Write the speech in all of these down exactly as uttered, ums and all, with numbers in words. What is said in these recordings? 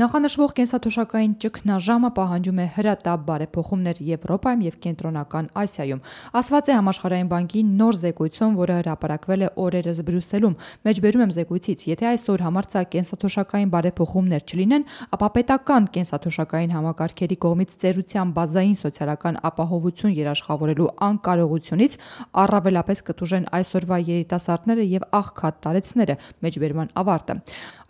Նախանշվող կենսաթոշակային ճգնաժամը պահանջում է հրատապ բարեփոխումներ Եվրոպայում և Կենտրոնական Ասիայում, ասված է Համաշխարհային բանկի նոր զեկույցում, որը հրապարակվել է օրերս Բրյուսելում։ Մեջբերում եմ զեկույցից, եթե այսօր համարձակ կենսաթոշակային բարեփոխումներ չլինեն, ապա պետական կենսաթոշակային համակարգերի կողմից ծերության բազային սոցիալական ապահովություն երաշխավորելու անկարողությունից առավելապես կտուժեն այսօրվա երիտասարդները և աղքատ տարեցները։ Մեջբերման ավարտը։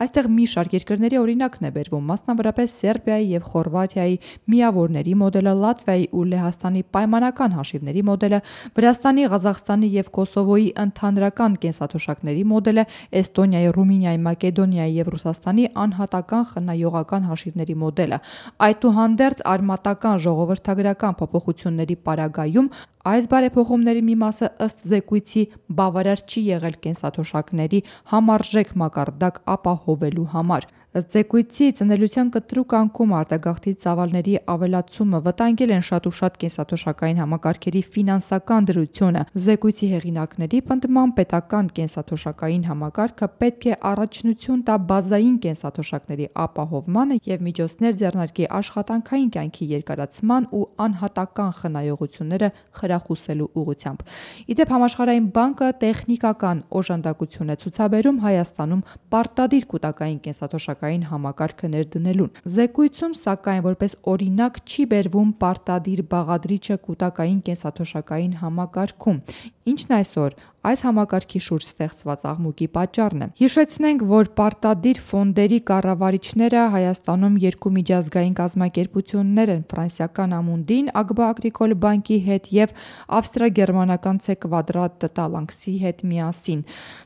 Այստեղ մի շարք երկրների օրինակն է բերվում, մասնավորապես Սերբիայի և Խորվաթիայի միավորների մոդելը, Լատվիայի ու Լեհաստանի պայմանական հաշիվների մոդելը, Վրաստանի, Ղազախստանի և Կոսովոյի ընդհանրական կենսաթոշակների մոդելը, Էստոնիայի, Ռումինիայի, Մակեդոնիայի և Ռուսաստանի անհատական խնայողական հաշիվների մոդելը։ Այդուհանդերձ արմատական ժողովրդագրական փոփոխությունների պարագայում այս բարեփոխումների մի մասը ըստ զեկույցի բավարար չի եղել կենսաթոշակների համարժեք մակարդակ ապահովելու համար։ Ըստ զեկույցի, ծնելիության կտրուկ անկումը, արտագաղթի ծավալների ավելացումը վտանգել են շատ ու շատ կենսաթոշակային համակարգերի ֆինանսական դրությունը։ Զեկույցի հեղինակների պնդմամբ պետական կենսաթոշակային համակարգը պետք է առաջնություն տա բազային կենսաթոշակների ապահովմանը և միջոցներ ձեռնարկի աշխատանքային կյանքի երկարացման ու անհատական խնայողությունները խրախուսելու ուղղությամբ։ Ի դեպ, Համաշխարհային բանկը տեխնիկական օժանդակություն է ցուցաբերում Հայաստանում պարտադիր կൂട്ടակային կենսաթոշակային համակարգը ներդնելուն։ Զեկույցում, սակայն, որպես օրինակ չի բերվում պարտադիր բաղադրիչը կൂട്ടակային կենսաթոշակային համակարգում, ինչն այսօր այս համակարգի շուրջ ստեղծված աղմուկի պատճառն է։ Հիշեցնենք, որ պարտադիր ֆոնդերի կառավարիչները Հայաստանում երկու միջազգային կազմակերպություններ են՝ Ֆրանսիական Ամունդին Ագբա Ագրիկոլ բանկի հետ և ավստրիա-գերմանական Ցե Կվադրատ Տալանքսի հետ միասին։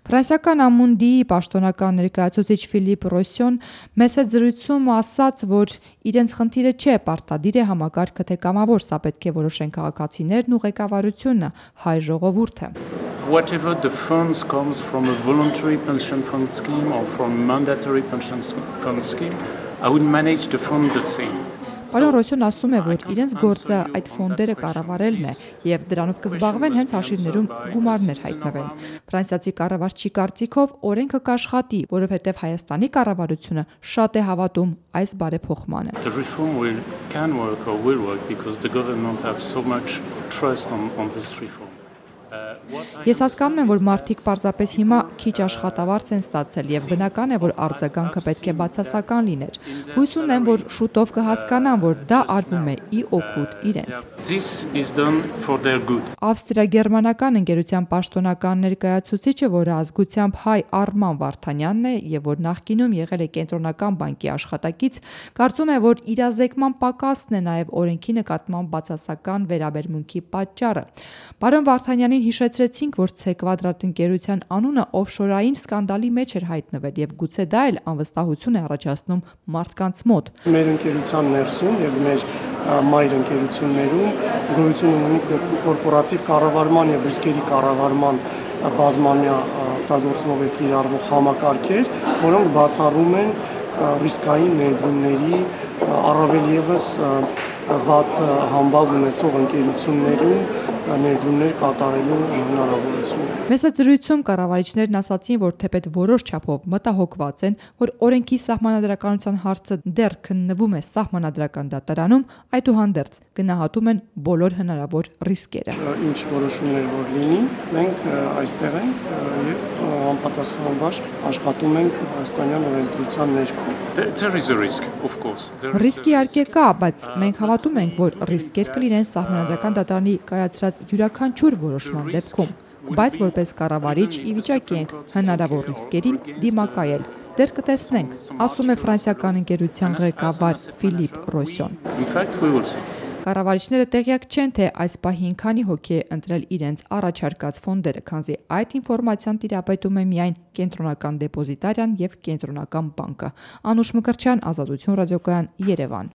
Ֆրանսիական Ամունդիի պաշտոնական ներկայացուցիչ Ֆիլիպ Ռոսյոն մեծ հետ զրույցում ասաց, որ իրենց խնդիրը չէ պարտադիր է համակարգը թե կամավոր, սա պետք է որոշեն քաղաքացիներն ու ղեկավարությունը, հայ ժողովուրդը։ Whatever the funds comes from a voluntary pension fund scheme or from a mandatory pension fund scheme, I would manage the fund the same. Պարոն Ռոսյոն ասում է, որ իրենց գործը այդ ֆոնդերը կառավարելն է և դրանով կզբաղվեն հենց հաշիվներում գումարներ հայտնվեն։ Ֆրանսիացի կառավարչի կարծիքով օրենքը կաշխատի, որովհետև Հայաստանի կառավարությունը շատ է հավատում այս բարեփոխմանը։ The reform will can work or will work because the government has so much trust on on this reform. Ես հասկանում եմ, որ մարդիկ պարզապես հիմա քիչ աշխատավարձ են ստացել և բնական է, որ արձագանքը պետք է բացասական լիներ։ Հույս ունեմ, որ շուտով կհասկանան, որ դա արվում է ի օգուտ իրենց։ This is done for their good. Ավստրիա-գերմանական ընկերության պաշտոնական ներկայացուցիչը, որը ազգությամբ հայ Արման Վարդանյանն է և որ նախկինում եղել է Կենտրոնական բանկի աշխատակից, կարծում է, որ իրազեկման պակասն է նաև օրենքի նկատմամբ բացասական վերաբերմունքի պատճառը։ Պարոն Վարդանյանին հիշեցրեցինք, որ Ցե Կվադրատ ընկերության անունը օֆշորային սկանդալի մեջ էր հայտնվել և գուցե դա էլ անվստահություն է առաջացնում մարդկանց մոտ։ Մեր ընկերության ներսում և մեր մայր ընկերություններում գոյություն ունի կորպորատիվ կառավարման և ռիսկերի կառավարման բազմամյա օգտագործվող է կիրառվող համակարգեր, որոնք բացառում են ռիսկային ներդրումների առավել ևս վատ համբավ ունեցող ընկերություններում ներդրումներ կատարելու հնարավորությունը։ Մեծ զրույցում կառավարիչներն ասացին, որ թեպետ որոշ չափով մտահոգված են, որ օրենքի սահմանադրականության հարցը դեռ քննվում է սահմանադրական դատարանում, այդուհանդերձ գնահատում են բոլոր հնարավոր ռիսկերը։ Ինչ որոշումներ որ լինի, մենք այստեղ ենք և անպատասխանաբար աշխատում ենք հայաստանյան օրենսդրության ներքո։ There is a risk, of course. Ռիսկի իհարկե կա, բայց մենք հավատում ենք, որ ռիսկեր կլինեն սահմանադրական դատարանի կայացրած յուրաքանչյուր որոշման դեպքում, բայց որպես կառավարիչ ի վիճակի ենք հնարավոր ռիսկերին դիմակայել։ Դեռ կտեսնենք, ասում է ֆրանսիական ընկերության ղեկավար Ֆիլիպ Ռոսյոն։ In fact, we will see. Կառավարիչները տեղյակ չեն, թե այս պահին քանի հոգի է ընտրել իրենց առաջարկած ֆոնդերը, քանզի այդ ինֆորմացիան տիրապետում է միայն Կենտրոնական դեպոզիտարիան և Կենտրոնական բանկը։ Անուշ Մկրտչյան, Ազատություն ռադիոկայան, Երևան։